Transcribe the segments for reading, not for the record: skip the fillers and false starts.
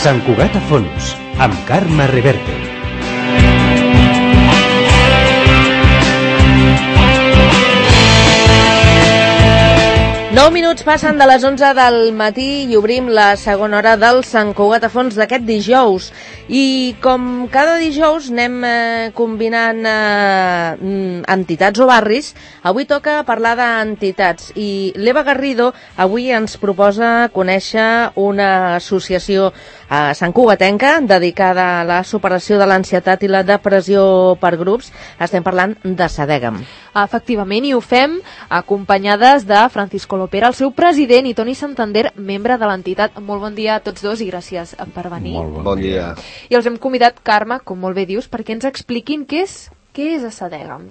Sant Cugat a fons, amb Carme Reverte. Nou minuts passen de les 11 del matí i obrim la segona hora del Sant Cugat a fons d'aquest dijous. I com cada dijous anem combinant entitats o barris, avui toca parlar d'entitats. I l'Eva Garrido avui ens proposa conèixer una associació santcugatenca dedicada a la superació de l'ansietat i la depressió per grups. Estem parlant de Sadegam. Efectivament, i ho fem acompanyades de Francisco Lopera, el seu president, i Toni Santander, membre de l'entitat. Molt bon dia a tots dos i gràcies per venir. Molt bon dia. I els hem convidat, Carme, com molt bé dius, perquè ens expliquin què és a Sadegam.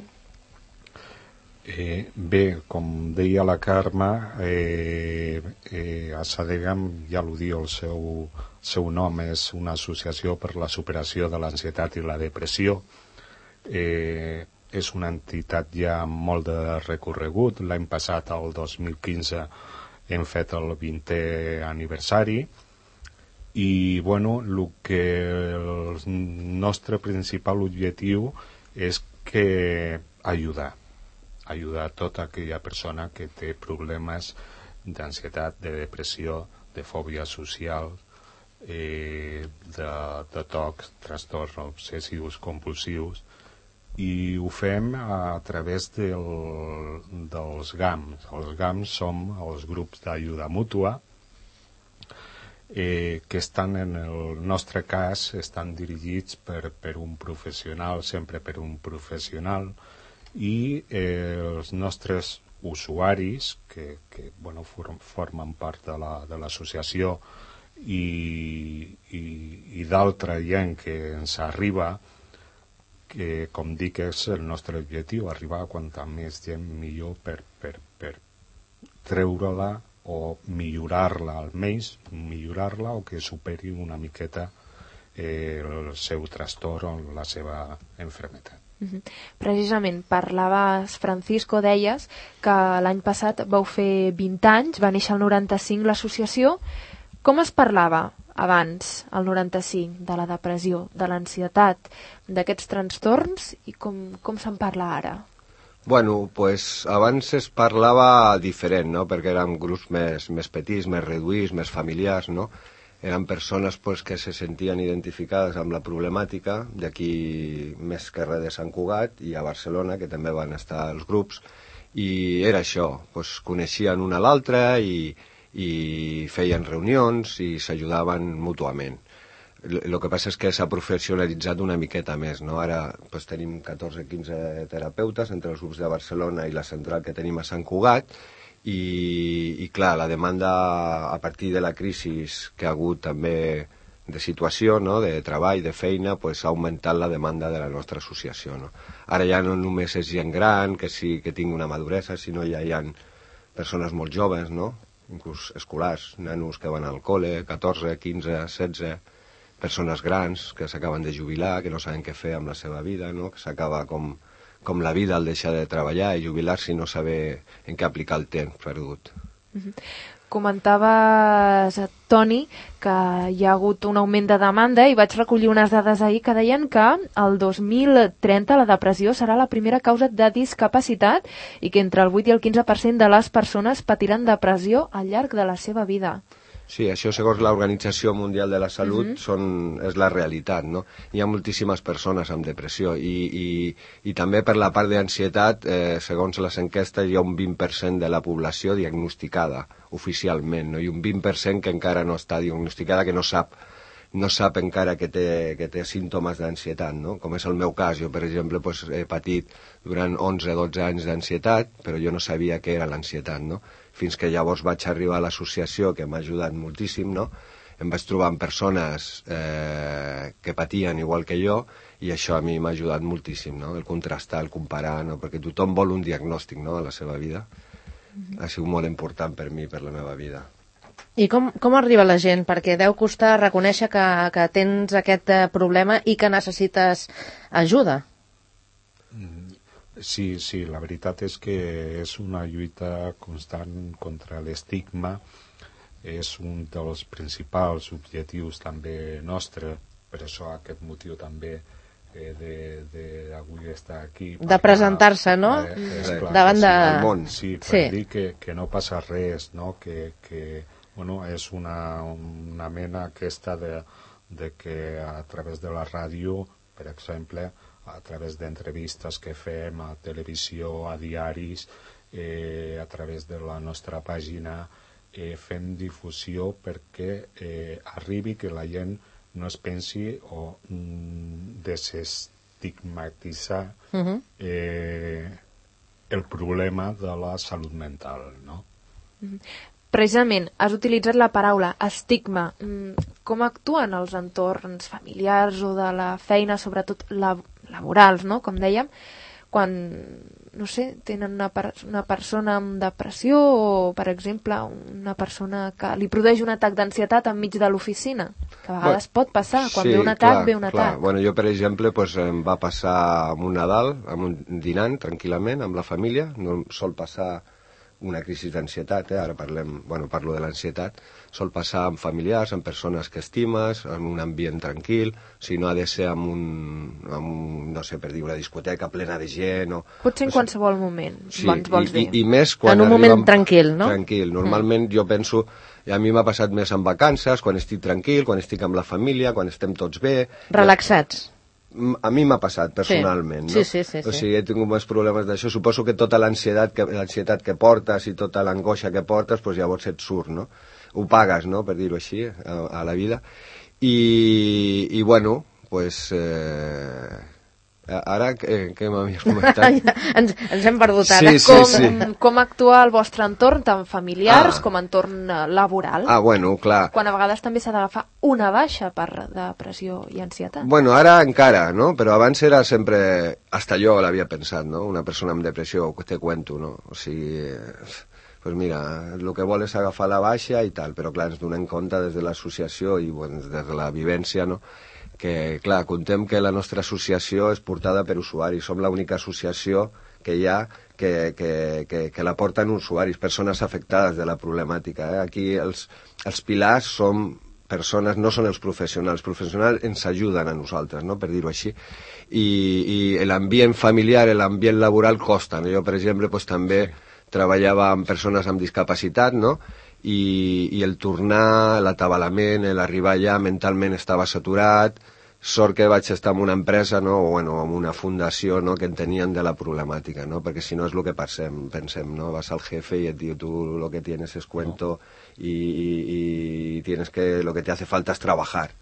Bé, com deia la Carme, a Sadegam, ja ho diu el seu nom, és una associació per la superació de l'ansietat i la depressió. És una entitat ja amb molt de recorregut. L'any passat, el 2015, hem fet el 20è aniversari i, bueno, el nostre principal objectiu és ajudar tota aquella persona que té problemes d'ansietat, de depressió, de fòbia social, de tocs, trastorns obsessius compulsius, i ho fem a través dels GAMs. Els GAMs som els grups d'ajuda mútua, que estan, en el nostre cas, estan dirigits per un professional, sempre per un professional, i els nostres usuaris, que formen part de l'associació, i d'altra gent que ens arriba, que, com dic, és el nostre objectiu, arribar a quanta més gent millor per treure-la o millorar-la, almenys millorar-la, o que superi una miqueta el seu trastorn o la seva malaltia. Precisament, parlaves, Francisco, deies que l'any passat vau fer 20 anys, va néixer el 95 l'associació. Com es parlava abans, el 95, de la depressió, de l'ansietat, d'aquests trastorns, i com se'n parla ara? Bueno, pues abans es parlava diferent, no?, perquè érem grups més petits, més reduïts, més familiars, no? Eren persones pues, que se sentien identificades amb la problemàtica, d'aquí més que res de Sant Cugat, i a Barcelona, que també van estar els grups, i era això, pues, coneixien un a l'altre i feien reunions i s'ajudaven mútuament. El que passa és que s'ha professionalitzat una miqueta més, no? Ara pues, tenim 14-15 terapeutes entre els grups de Barcelona i la central que tenim a Sant Cugat, i clar, la demanda a partir de la crisi que ha hagut també de situació, no?, de treball, de feina, pues, ha augmentat la demanda de la nostra associació, no? Ara ja no només és gent gran que sí que tingui una maduresa, sinó ja hi ha persones molt joves, no?, inclús escolars, nanos que van al col·le, 14, 15, 16, persones grans que s'acaben de jubilar, que no saben què fer amb la seva vida, no?, que s'acaba com la vida al deixar de treballar i jubilar-se i no saber en què aplicar el temps perdut. Comentaves, Toni, que hi ha hagut un augment de demanda, i vaig recollir unes dades ahir que deien que el 2030 la depressió serà la primera causa de discapacitat i que entre el 8 i el 15% de les persones patiran depressió al llarg de la seva vida. Sí, això segons l'Organització Mundial de la Salut és la realitat, no? Hi ha moltíssimes persones amb depressió i també per la part d'ansietat, segons les enquestes, hi ha un 20% de la població diagnosticada oficialment, no? I un 20% que encara no està diagnosticada, que no sap encara que té símptomes d'ansietat, no? Com és el meu cas. Jo, per exemple, pues, he patit durant 11-12 anys d'ansietat, però jo no sabia què era l'ansietat, no? Fins que llavors vaig arribar a l'associació, que m'ha ajudat moltíssim, no? Em vaig trobar amb persones que patien igual que jo, i això a mi m'ha ajudat moltíssim, no? El contrastar, el comparar, no? Perquè tothom vol un diagnòstic, no?, a la seva vida. Ha sigut molt important per mi, per la meva vida. I com arriba la gent? Perquè deu costar reconèixer que tens aquest problema i que necessites ajuda. Sí, la veritat és que és una lluita constant contra l'estigma és un dels principals objectius també nostre, per això aquest motiu també d'avui estar aquí. De presentar-se, no? Davant de... món. Sí, per dir que no passa res, no? Que bueno, és una mena aquesta de que a través de la ràdio, per exemple, a través d'entrevistes que fem a televisió, a diaris, a través de la nostra pàgina, fem difusió perquè arribi que la gent no es pensi o desestigmatitzar el problema de la salut mental, no? Precisament, has utilitzat la paraula estigma. Com actuen els entorns familiars o de la feina, sobretot laborals, no? Com dèiem, quan, no sé, tenen una persona amb depressió o, per exemple, una persona que li produeix un atac d'ansietat enmig de l'oficina, que a vegades pot passar, quan ve un atac, ve un atac. Bueno, jo, per exemple, em va passar amb un Nadal, dinant tranquil·lament amb la família, no sol passar una crisi d'ansietat, ara parlo de l'ansietat, sol passar amb familiars, amb persones que estimes, en un ambient tranquil, si no ha de ser amb no sé, per dir, una discoteca plena de gent o... Potser en qualsevol moment, sí, vols dir. I més quan en un moment tranquil, no? Tranquil. Normalment jo penso, a mi m'ha passat més en vacances, quan estic tranquil, quan estic amb la família, quan estem tots bé... Relaxats. A mi m'ha passat personalment, no? Sí. O sigui, he tingut més problemes d'això. Suposo que tota l'ansietat que portes i tota l'angoixa que portes, doncs llavors et surt, no? Ho pagues, no?, per dir-ho així, a la vida. I bueno, doncs... Ara, què m'havies comentat? ens hem perdut ara. Com actua el vostre entorn, tant familiars com entorn laboral? Bueno, clar. Quan a vegades també s'ha d'agafar una baixa per depressió i ansietat. Bueno, ara encara, no? Però abans era sempre... Hasta jo l'havia pensat, no? Una persona amb depressió, te cuento, no? O sigui... Pues mira, el que vol és agafar la baixa i tal, però clar, ens donem compte des de l'associació i bueno, des de la vivència, no?, que, clar, contem que la nostra associació és portada per usuaris. Som l'única associació que hi ha que la porten usuaris, persones afectades de la problemàtica. Aquí els pilars són persones, no són els professionals. Els professionals ens ajuden a nosaltres, no?, per dir-ho així. I l'ambient familiar, l'ambient laboral costa. Jo, per exemple, pues, també treballava amb persones amb discapacitat, no?, i el tornar, l'atabalament, l'arribar allà mentalment estava saturat. Sort que vaig estar en una empresa, no?, o bueno, en una fundació, no?, que entenien de la problemàtica, no?, perquè si no és el que pensem, no?, vas al jefe i et diu, tu lo que tienes es cuento y tienes que, lo que te hace falta es trabajar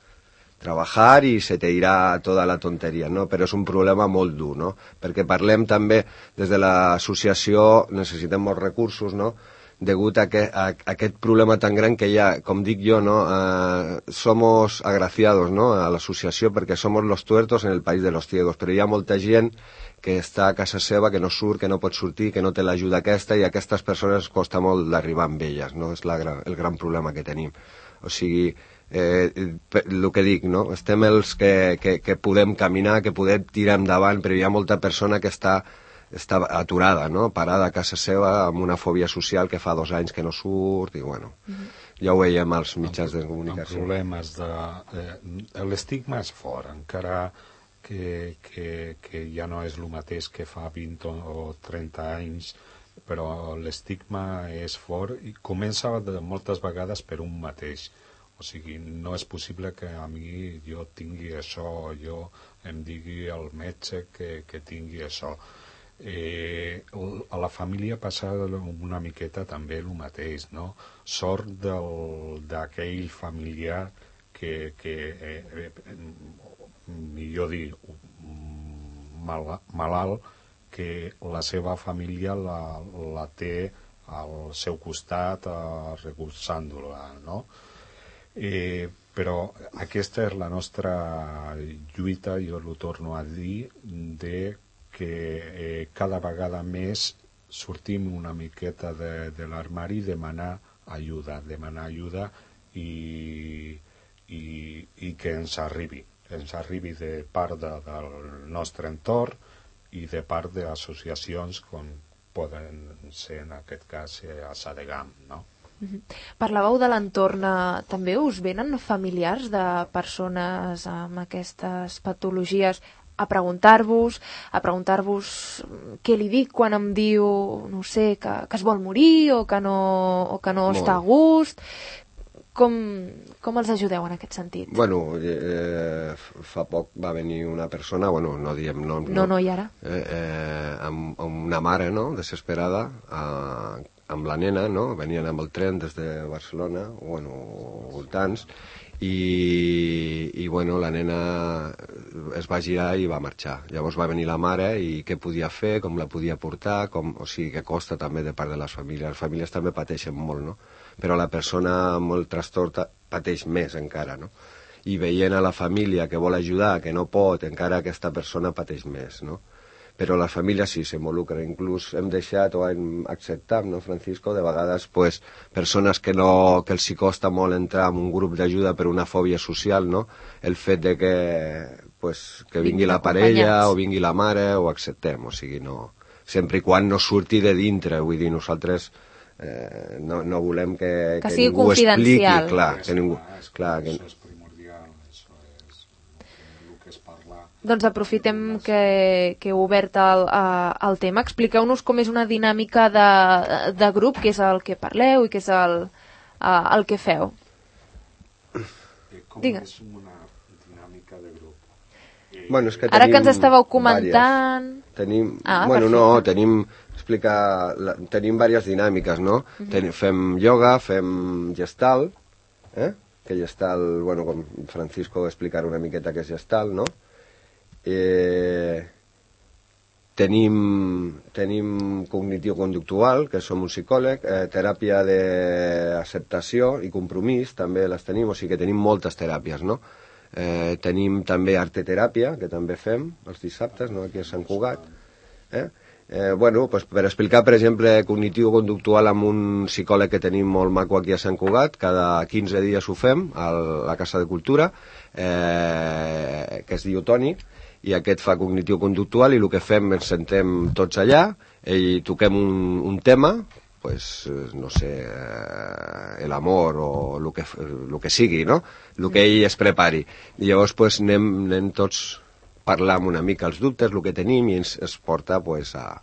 i se te irà tota la tonteria, no? Però és un problema molt dur, no? Perquè parlem també, des de l'associació, necessitem molts recursos, no?, degut a aquest problema tan gran que hi ha, com dic jo, no? Somos agraciados, no?, a l'associació perquè somos los tuertos en el país de los ciegos, però hi ha molta gent que està a casa seva, que no surt, que no pot sortir, que no té l'ajuda aquesta, i a aquestes persones costa molt d'arribar amb elles, no? És el gran problema que tenim. O sigui, el que dic, no? Estem els que podem caminar, que podem tirar endavant, però hi ha molta persona que està aturada, no?, parada a casa seva amb una fòbia social que fa 2 anys que no surt i bueno, ja ho veiem als mitjans de comunicació. Amb problemes l'estigma és fort, encara que ja no és el mateix que fa 20 o 30 anys, però l'estigma és fort i comença moltes vegades per un mateix. O sigui, no és possible que a mi jo tingui això, o jo em digui al metge que tingui això. A la família passa una miqueta també el mateix, no? Sort d'aquell familiar que millor dir, malalt, que la seva família la té al seu costat recolzant-la, no? Però aquesta és la nostra lluita, jo ho torno a dir, que cada vegada més sortim una miqueta de l'armari i demanar ajuda i que ens arribi de part del nostre entorn i de part d'associacions com poden ser en aquest cas a Sadegam, no? Parlàveu de l'entorn, també us venen familiars de persones amb aquestes patologies a preguntar-vos què li dic quan em diu, no sé, que es vol morir o que no està a gust. Com els ajudeu en aquest sentit? Bueno, fa poc va venir una persona, bueno, no diem nom, no, i ara? Amb una mare, no?, desesperada, amb la nena, no?, venien amb el tren des de Barcelona, bueno, voltants, i bueno, la nena es va girar i va marxar. Llavors va venir la mare i què podia fer, com la podia portar, o sigui que costa també de part de les famílies. Les famílies també pateixen molt, no?, però la persona amb el trastorn pateix més encara, no? I veient a la família que vol ajudar, que no pot, encara aquesta persona pateix més, no? Però les famílies sí s'involucren, inclús hem deixat o hem acceptat, no, Francisco, de vegades pues, persones que els hi costa molt entrar en un grup d'ajuda per una fòbia social, no? El fet de que vingui la parella o vingui la mare ho acceptem, o sigui, no, sempre i quan no surti de dintre, vull dir, nosaltres no volem que sigui ningú expliqui, confidencial. que Això és primordial, això és el que es parla. Doncs aprofitem que heu obert el tema. Expliqueu-nos com és una dinàmica de grup, què és el que parleu i què és el que feu. Com Digues. és una dinàmica de grup? Bueno, és que Ara que ens estàveu comentant... Tenim diverses dinàmiques, no? Fem ioga, fem gestal, que gestal, bueno, com Francisco explicarà una miqueta què és gestal, no? Tenim cognitiu-conductual, que som un psicòleg, teràpia d'acceptació i compromís, també les tenim, o sigui que tenim moltes teràpies, no? Tenim també arteteràpia, que també fem els dissabtes, no?, aquí a Sant Cugat. Bueno, pues per explicar, per exemple, cognitiu-conductual amb un psicòleg que tenim molt maco aquí a Sant Cugat, cada 15 dies ho fem a la Casa de Cultura, que es diu Toni, i aquest fa cognitiu-conductual, i el que fem ens sentem tots allà i toquem un tema, pues, no sé, l'amor o el que sigui, no?, el que ell es prepari. I llavors pues, anem tots parlant una mica els dubtes, el que tenim, i ens porta pues, a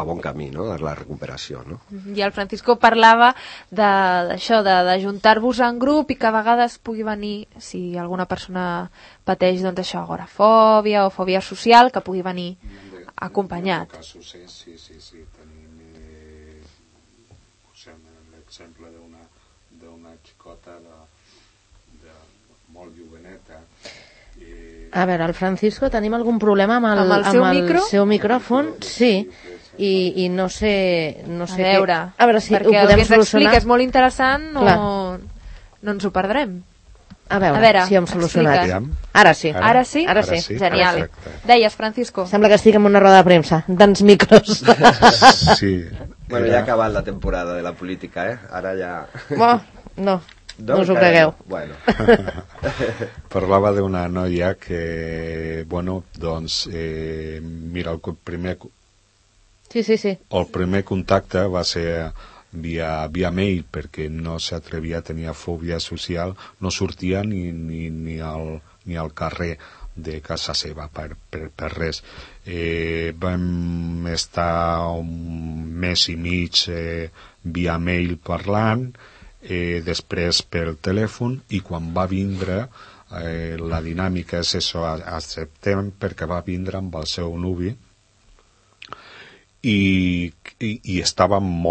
bon camí, no?, a la recuperació, no? I el Francisco parlava d'això, d'ajuntar-vos en grup i que a vegades pugui venir, si alguna persona pateix, doncs això, agorafòbia o fòbia social, que pugui venir acompanyat. En casos, sí, tenim l'exemple d'una xicota molt joveneta. A veure, el Francisco, tenim algun problema amb el seu micròfon? Sí, i no sé a veure si ho podem el que ens solucionar. explica és molt interessant o no ens ho perdrem. A veure si ho hem solucionat. Ara sí. Ara sí? Genial. Perfecte. Deies, Francisco. Sembla que estic en una roda de premsa, d'ens micros. Sí. Bueno, ja ha acabat la temporada de la política, Ara ja... No us ho cregueu. Bueno. Parlava d'una noia que, bueno, doncs, mira, el primer contacte va ser via mail, perquè no s'atrevia a tenir fòbia social, no sortia ni al carrer de casa seva per res. Vam estar un mes i mig via mail parlant, després pel telèfon, i quan va vindre la dinàmica és això, acceptem, perquè va vindre amb el seu nuvi i estava amb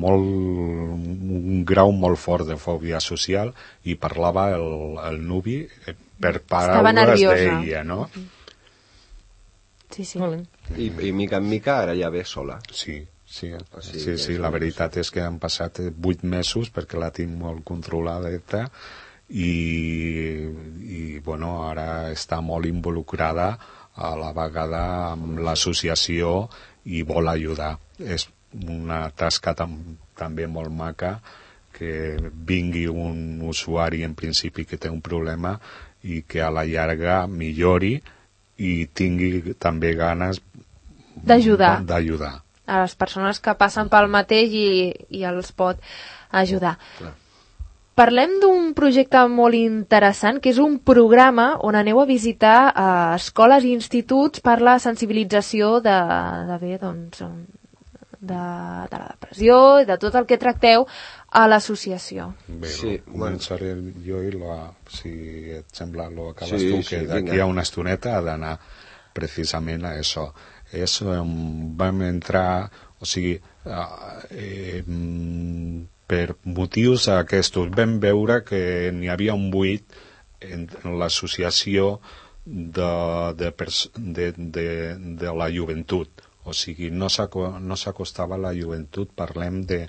un grau molt fort de fòbia social, i parlava el nuvi per paraules d'ella, no? Sí. I mica en mica ara ja ve sola. Sí, la veritat és que han passat 8 mesos perquè la tinc molt controlada i bueno, ara està molt involucrada a la vegada amb l'associació i vol ajudar. És una tasca també molt maca que vingui un usuari en principi que té un problema i que a la llarga millori i tingui també ganes d'ajudar. a les persones que passen pel mateix i els pot ajudar. Clar. Parlem d'un projecte molt interessant, que és un programa on aneu a visitar escoles i instituts per la sensibilització de la depressió i de tot el que tracteu a l'associació. Bé, Sí, començaré jo i si et sembla lo acabes Sí, tu, sí, que d'aquí vinga. a una estoneta ha d'anar precisament a això. Vam entrar, o sigui, per motius aquests vam veure que n'hi havia un buit en l'associació de la joventut. O sigui, no s'acostava a la joventut, parlem de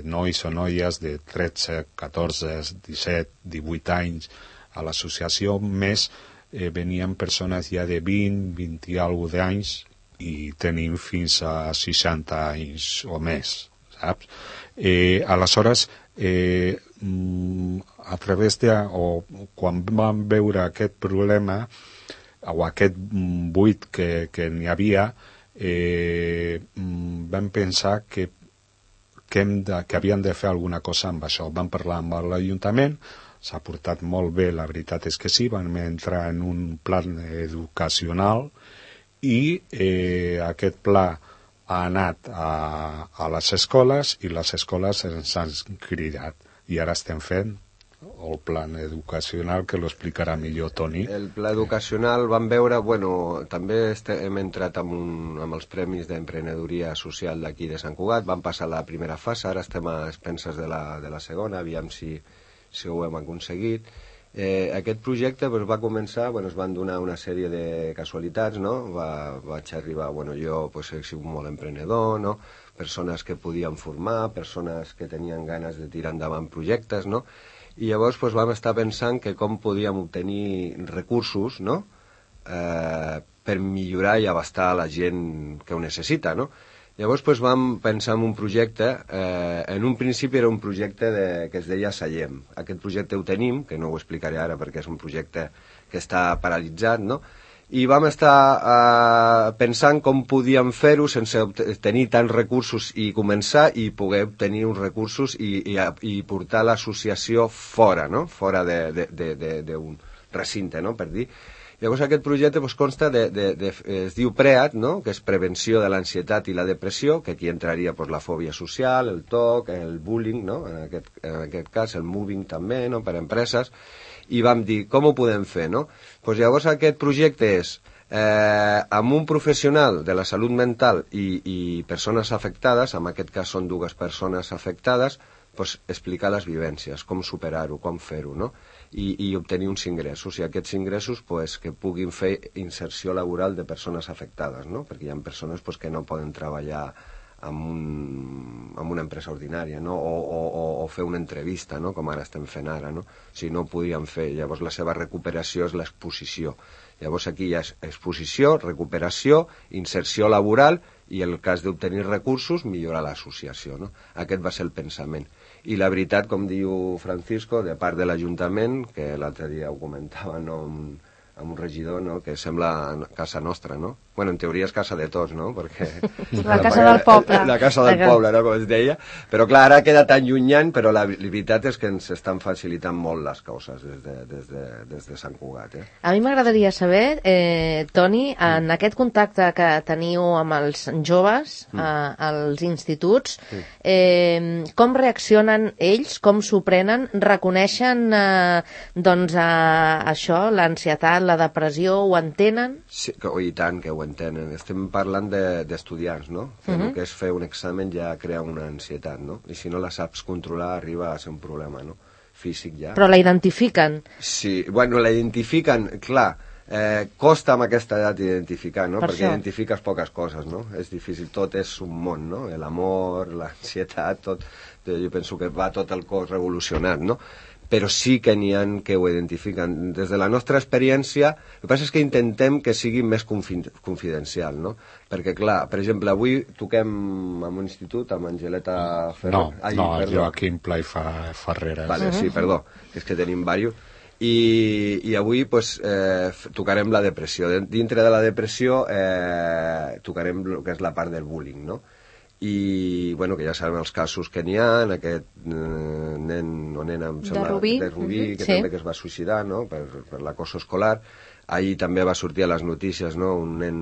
nois o noies de 13, 14, 17, 18 anys a l'associació, més venien persones ja de 20, 20 i alguna d'anys i tenim fins a 60 anys o més, saps? Aleshores, a través quan vam veure aquest problema o aquest buit que n'hi havia, vam pensar que havien de fer alguna cosa amb això. Vam parlar amb l'Ajuntament, s'ha portat molt bé, la veritat és que sí, vam entrar en un plan educacional i aquest pla ha anat a les escoles i les escoles ens han cridat i ara estem fent el plan educacional, que lo explicarà millor Toni. El pla educacional vam veure, també hem entrat amb els Premis d'Emprenedoria Social d'aquí de Sant Cugat, vam passar la primera fase, ara estem a expenses de la segona, aviam si ho hem aconseguit. Aquest projecte va començar, es van donar una sèrie de casualitats, no? Vaig arribar, jo he sigut molt emprenedor, no? Persones que podien formar, persones que tenien ganes de tirar endavant projectes, no? I llavors vam estar pensant que com podíem obtenir recursos, no? Per millorar i abastar la gent que ho necessita, no? Llavors vam pensar en un projecte, en un principi era un projecte que es deia Sallem. Aquest projecte ho tenim, que no ho explicaré ara perquè és un projecte que està paralitzat, no? I vam estar pensant com podíem fer-ho sense tenir tants recursos i començar i poder obtenir uns recursos i portar l'associació fora, no? Fora d'un recinte, no? Per dir. Llavors aquest projecte consta es diu PREAT, no? Que és Prevenció de l'Ansietat i la Depressió, que aquí entraria la fòbia social, el TOC, el bullying, no? En aquest cas el moving també, no? Per empreses, i vam dir com ho podem fer, no? Llavors aquest projecte és amb un professional de la salut mental i persones afectades, en aquest cas són dues persones afectades, explicar les vivències, com superar-ho, com fer-ho, no? I obtenir uns ingressos, i aquests ingressos que puguin fer inserció laboral de persones afectades, no? Perquè hi ha persones que no poden treballar en una empresa ordinària, no? O fer una entrevista, no? Com ara estem fent ara, no? Si no ho podien fer, llavors la seva recuperació és l'exposició. Llavors aquí hi ha exposició, recuperació, inserció laboral i en el cas d'obtenir recursos, millorar l'associació, no? Aquest va ser el pensament. I la veritat, com diu Francisco, de part de l'Ajuntament, que l'altre dia ho comentava, no? Amb un regidor, no? Que sembla casa nostra, no? En teoria és casa de tots, no? Perquè la casa del poble. La casa del poble, no? Com es deia. Però clar, ara queda tan llunyant, però la veritat és que ens estan facilitant molt les coses des de Sant Cugat. A mi m'agradaria saber, Toni, en aquest contacte que teniu amb els joves als instituts, com reaccionen ells, com s'ho prenen, reconeixen això, l'ansietat, la depressió, ho entenen? Sí, i tant que ho entenen. Estem parlant d'estudiants, no? El que és fer un examen ja crea una ansietat, no? I si no la saps controlar arriba a ser un problema, no? Físic ja. Però la identifiquen? Sí, la identifiquen, clar, costa amb aquesta edat identificar, no? Perquè identifiques poques coses, no? És difícil, tot és un món, no? L'amor, l'ansietat, tot, jo penso que va tot el cos revolucionat, no? Però sí que n'hi ha que ho identifiquen. Des de la nostra experiència, el que passa és que intentem que sigui més confidencial, no? Perquè, clar, per exemple, avui toquem en un institut amb Angeleta Ferrer. No, Joaquim Pla i Ferreres. Vale, sí, perdó, és que tenim diversos. I avui pues, tocarem la depressió. Dintre de la depressió tocarem el que és la part del bullying, no? I bueno, que ja sabem els casos que n'hi ha, aquest nen o nena de Rubí, que també que es va suïcidar, no? per l'acoso escolar. Ahir també va sortir a les notícies, no? Un nen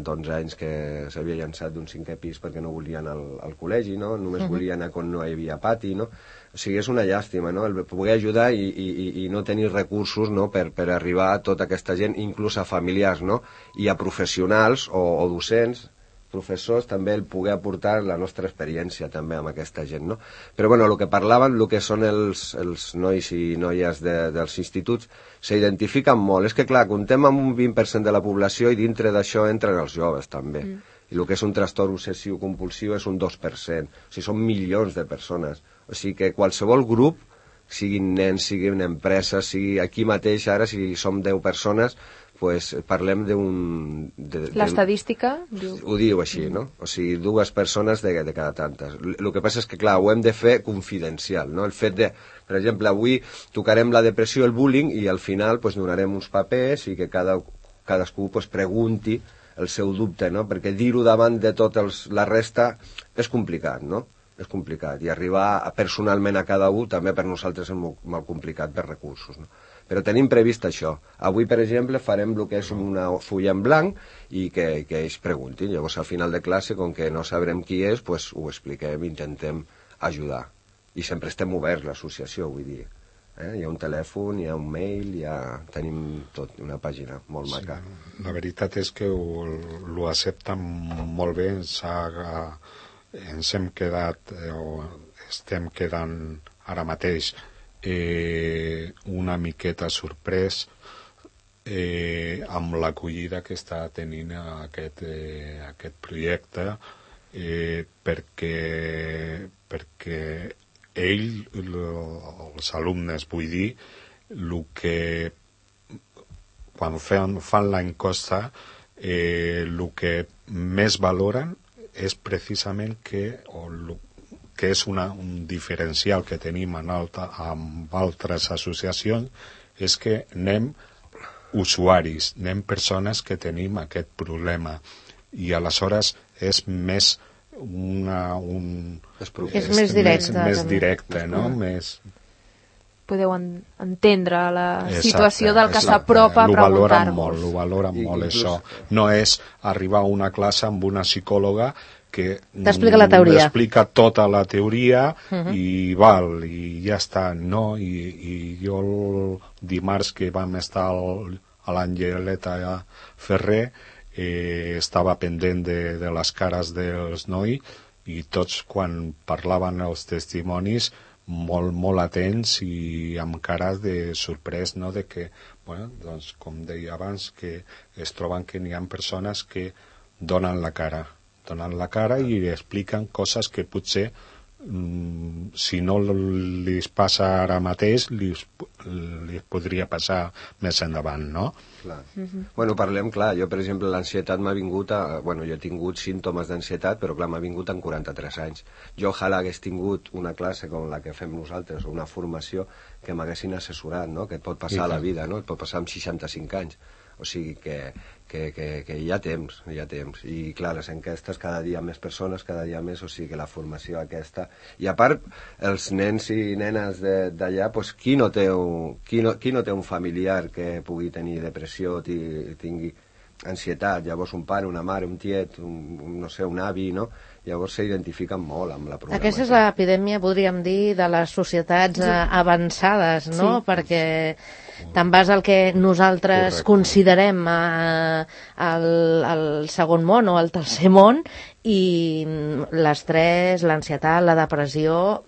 d'11 anys que s'havia llançat d'un 5è pis perquè no volia anar al col·legi, no? Només volia anar quan no hi havia pati, no? O sigui, és una llàstima, no? El poder ajudar i no tenir recursos, no? per arribar a tota aquesta gent, inclús a familiars, no? I a professionals o docents, professors, també el poder aportar la nostra experiència també amb aquesta gent, no? Però bueno, el que parlaven, el que són els nois i noies dels instituts, s'identifiquen molt. És que clar, comptem amb un 20% de la població i dintre d'això entren els joves també. I el que és un trastorn obsessiu compulsiu és un 2%. O sigui, són milions de persones. O sigui que qualsevol grup, siguin nens, siguin empreses, sigui aquí mateix, ara, si som 10 persones, pues parlem d'un... L'estadística ho diu així, no? O sigui, 2 persones de cada tantes. El que passa és que, clar, ho hem de fer confidencial, no? El fet de, per exemple, avui tocarem la depressió, el bullying, i al final pues, donarem uns papers i que cadascú pues, pregunti el seu dubte, no? Perquè dir-ho davant de tota la resta és complicat, no? És complicat. I arribar personalment a cada un també per nosaltres és molt complicat per recursos, no? Però tenim previst això. Avui, per exemple, farem el que és una fulla en blanc i que ells preguntin. Llavors, al final de classe, com que no sabrem qui és, pues, ho expliquem, intentem ajudar. I sempre estem oberts, l'associació, vull dir. Hi ha un telèfon, hi ha un mail, tenim tot, una pàgina molt maca. La veritat és que ho accepten molt bé. Ens hem quedat, o estem quedant ara mateix, una miqueta sorprès amb l'acollida que està tenint aquest projecte, perquè els alumnes, vull dir, el que quan fan l'encosta, el que més valoren és precisament que és un diferencial que tenim amb altres associacions, és que anem usuaris, anem persones que tenim aquest problema, i aleshores és més és més directe. Més directe, no? Podeu entendre la situació del que s'apropa a preguntar-vos. Ho valoren molt, això. No és arribar a una classe amb una psicòloga que t'explica la teoria. Explica tota la teoria i ja està, no? I jo el dimarts que vam estar a l'Angeleta Ferrer estava pendent de les cares dels nois i tots quan parlaven els testimonis molt atents i amb cares de sorprès, no? De que, bueno, doncs, com deia abans, que es troben que n'hi ha persones que donen la cara i expliquen coses que potser si no li passa ara mateix li podria passar més endavant, no? Clar. Bueno, parlem, clar, jo per exemple l'ansietat m'ha vingut jo he tingut símptomes d'ansietat, però clar, m'ha vingut amb 43 anys. Jo ojalà hagués tingut una classe com la que fem nosaltres, o una formació que m'haguessin assessorat, no? Que et pot passar a la vida, no? Et pot passar amb 65 anys. O sigui que hi ha temps. I clar, les enquestes, cada dia més persones, cada dia més, o sigui que la formació aquesta... I a part, els nens i nenes d'allà, doncs, qui no té un familiar que pugui tenir depressió, tingui ansietat, llavors un pare, una mare, un tiet, un avi, no? Llavors s'identifiquen molt amb la problemàtica. Aquesta és l'epidèmia, podríem dir, de les societats avançades, no? Sí. Perquè te'n vas al que nosaltres considerem el segon món o el tercer món i l'estrès, l'ansietat, la depressió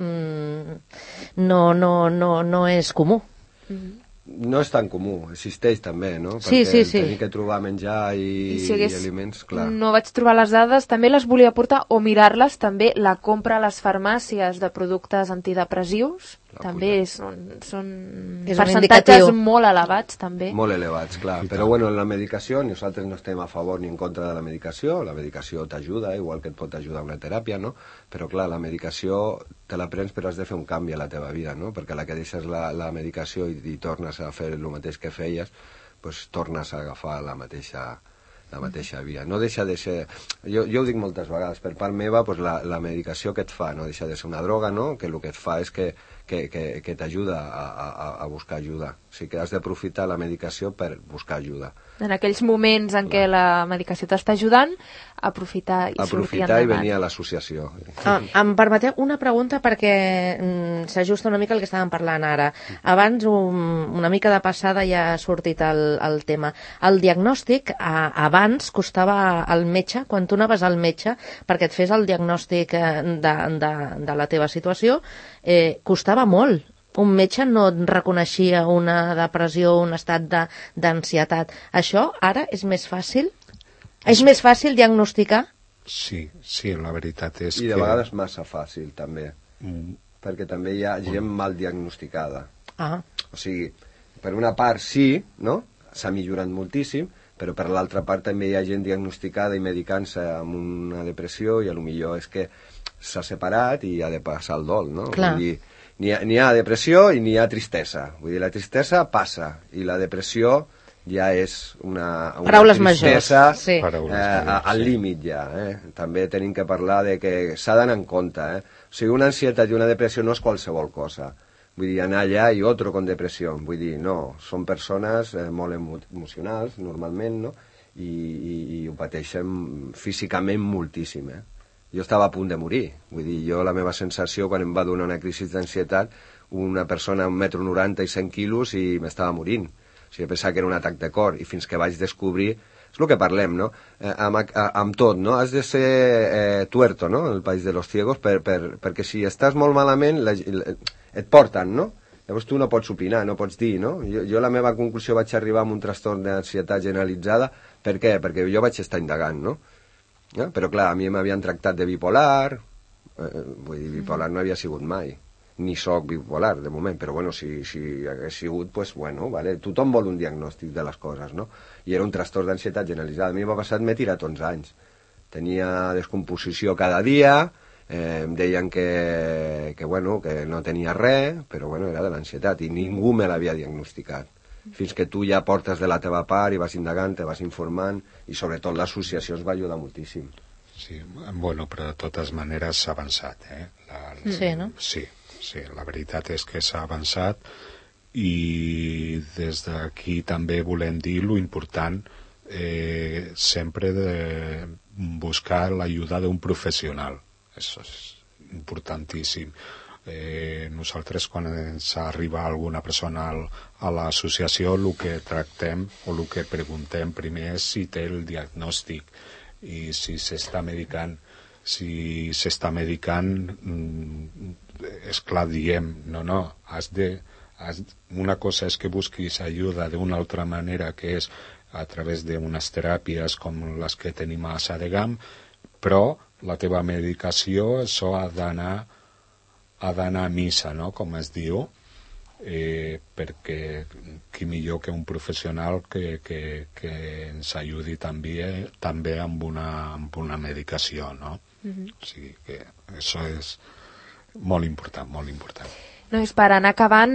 no és comú. No és tan comú, existeix també, no? Sí. Perquè tenir que trobar menjar i aliments, clar. No vaig trobar les dades, també les volia portar, o mirar-les també, la compra a les farmàcies de productes antidepressius, També són És un percentatges indicatiu. molt elevats, també. Molt elevats, clar. Però bueno, en la medicació nosaltres no estem a favor ni en contra de la medicació t'ajuda, igual que et pot ajudar una teràpia, no? Però clar, la medicació te la prens però has de fer un canvi a la teva vida, no? Perquè la que deixes la medicació i tornes a fer el mateix que feies, pues tornes a agafar la mateixa via. No deixa de ser... Jo ho dic moltes vegades, per part meva, pues la medicació que et fa no deixa de ser una droga, no? Que el que et fa és que t'ajuda a buscar ajuda. O sigui que has d'aprofitar la medicació per buscar ajuda. En aquells moments en què la medicació t'està ajudant, aprofitar i sortir endavant. I venir a l'associació. Em permeteu una pregunta perquè s'ajusta una mica el que estàvem parlant ara. Abans, una mica de passada, ja ha sortit el tema. El diagnòstic, abans costava al metge, quan tu anaves al metge perquè et fes el diagnòstic de la teva situació, costava molt. Un metge no et reconeixia una depressió, un estat d'ansietat. Això ara és més fàcil? És més fàcil diagnosticar? Sí, la veritat és que... I de vegades massa fàcil, també. Perquè també hi ha gent mal diagnosticada. O sigui, per una part sí, no? S'ha millorat moltíssim, però per l'altra part també hi ha gent diagnosticada i medicant-se amb una depressió i potser és que s'ha separat i ha de passar el dol, no? Clar. Vull dir, n'hi ha depressió i n'hi ha tristesa. Vull dir, la tristesa passa i la depressió ja és una Paraules tristesa majors, sí. Al límit ja. També tenim que parlar de que s'ha d'anar en compte. O sigui, una ansietat i una depressió no és qualsevol cosa. Vull dir, anar allà i otro con depressió. Vull dir, no, són persones molt emocionals, normalment, no? I ho pateixen físicament moltíssim, Jo estava a punt de morir. Vull dir, la meva sensació, quan em va donar una crisi d'ansietat, una persona amb 1,90 m i 100 quilos i m'estava morint. O sigui, pensava que era un atac de cor, i fins que vaig descobrir... És el que parlem, no? Amb tot, no? Has de ser tuerto, no? El país de los ciegos, perquè si estàs molt malament, et porten, no? Llavors tu no pots opinar, no pots dir, no? Jo la meva conclusió vaig arribar amb un trastorn d'ansietat generalitzada. Per què? Perquè jo vaig estar indagant, no? Però clar, a mi m'havien tractat de bipolar, vull dir, bipolar no havia sigut mai, ni soc bipolar de moment, però bueno, si hagués sigut, pues bueno, vale, tothom vol un diagnòstic de les coses, no? I era un trastorn d'ansietat generalitzada. A mi m'ha passat, m'he tirat 11 anys. Tenia descomposició cada dia, em deien que no tenia res, però bueno, era de l'ansietat, i ningú me l'havia diagnosticat. Fins que tu ja portes de la teva part i vas indagant, te vas informant, i sobretot l'associació ens va ajudar moltíssim. Sí, bueno, però de totes maneres s'ha avançat, Sí, no? Sí, la veritat és que s'ha avançat, i des d'aquí també volem dir lo important sempre de buscar l'ajuda d'un professional. Això és importantíssim. Nosaltres, quan ens arriba alguna persona a l'associació, el que tractem o el que preguntem primer és si té el diagnòstic i si s'està medicant. Si s'està medicant, és clar, diem, no, una cosa és que busquis ajuda d'una altra manera, que és a través d'unes teràpies com les que tenim a Sadegam, però la teva medicació, això ha d'anar a missa, no?, com es diu, perquè qui millor que un professional que ens ajudi també amb una medicació, no? O sigui que això és molt important, molt important. No, és per anar acabant,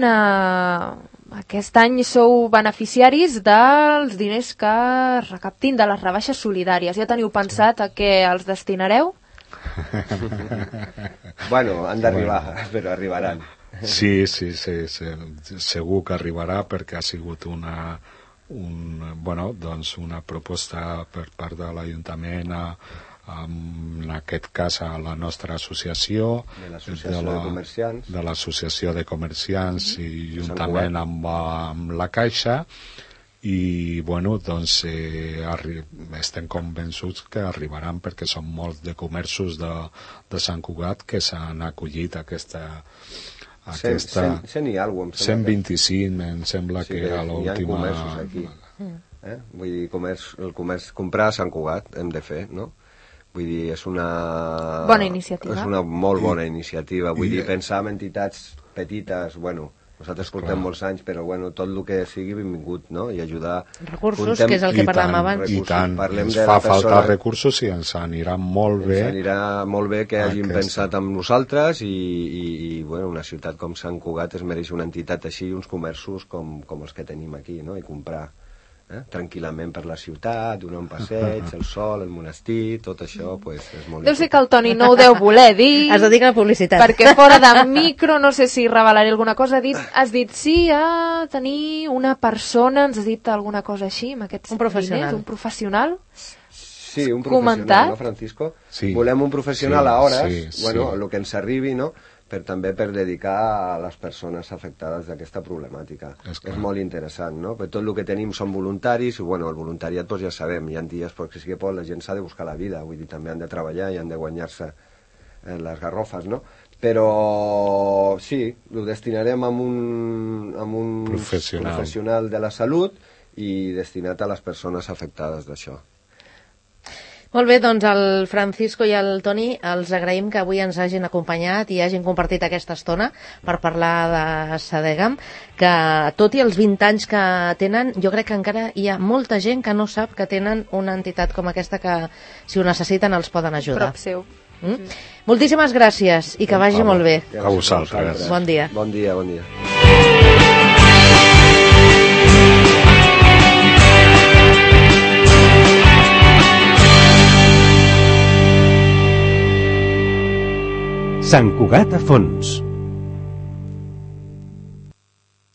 aquest any sou beneficiaris dels diners que es recaptin de les rebaixes solidàries. Ja teniu pensat a què els destinareu? Bueno, han d'arribar, però arribaran. Sí, segur que arribarà, perquè ha sigut una proposta per part de l'Ajuntament, en aquest cas a la nostra associació, de l'Associació de Comerciants, i juntament amb la Caixa, i estem convençuts que arribaran, perquè són molts de comerços de Sant Cugat que s'han acollit a aquesta 100 i alguna cosa, 125 em sembla que era l'última. Hi ha comerços aquí. Vull dir, el comerç, comprar a Sant Cugat hem de fer, no? Vull dir, és una bona iniciativa. És una molt bona iniciativa. Vull dir, pensar en entitats petites, bueno, nosaltres portem molts anys, però bueno, tot el que sigui benvingut, no? I ajudar... Recursos, que és el que parlàvem abans. I tant, Parlem ens de fa la persona- falta recursos i ens anirà molt bé. Ens anirà molt bé que hagin Aquesta. pensat en nosaltres i bueno, una ciutat com Sant Cugat es mereix una entitat així, uns comerços com els que tenim aquí, no? I comprar tranquil·lament per la ciutat, donar un passeig, el sol, el monestir, tot això pues, és molt Deu ser que el Toni no ho deu voler dir, Es dedica a la publicitat. perquè fora de micro, no sé si revelaré alguna cosa, has dit sí a tenir una persona, ens has dit alguna cosa així, amb aquests Un professional. diners, un professional. Sí, un Comentat? professional, no, Francisco? Sí. Volem un professional Sí, a hores, sí, bueno, sí. el que ens arribi, no? També per dedicar a les persones afectades d'aquesta problemàtica. És clar. És molt interessant, no? Perquè tot el que tenim són voluntaris, i bueno, el voluntariat doncs ja sabem, hi ha dies perquè sí que pot, la gent s'ha de buscar la vida, vull dir, també han de treballar i han de guanyar-se les garrofes, no? Però sí, ho destinarem a un professional de la salut i destinat a les persones afectades d'això. Molt bé, doncs el Francisco i el Toni els agraïm que avui ens hagin acompanyat i hagin compartit aquesta estona per parlar de Sadegam, que tot i els 20 anys que tenen, jo crec que encara hi ha molta gent que no sap que tenen una entitat com aquesta que, si ho necessiten, els poden ajudar. Prop seu. Moltíssimes gràcies i que vagi molt bé. A vosaltres. Bon dia. Bon dia, bon dia. Sant Cugat a fons.